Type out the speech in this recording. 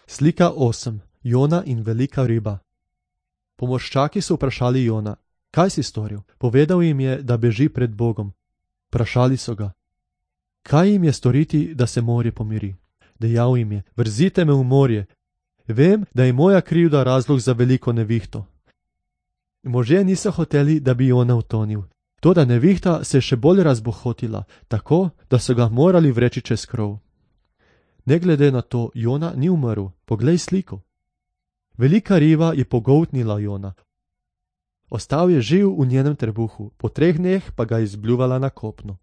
Slika 8. Jona in velika riba. Pomorščaki so vprašali Jona: kaj si storil? Povedal jim je, da beži pred Bogom. Vprašali so ga: kaj jim je storiti, da se morje pomiri? Dejal jim je: vrzite me v morje. Vem, da je moja krivda razlog za veliko nevihto. Možje niso hoteli, da bi Jona utonil. Toda nevihta se je še bolj razbohotila, tako, da so ga morali vreči čez krov. Ne glede na to, Jona ni umrl. Poglej sliko. Velika riba je pogoltnila Jona. Ostal je živ v njenem trebuhu, po 3 dneh pa ga je izbljuvala na kopno.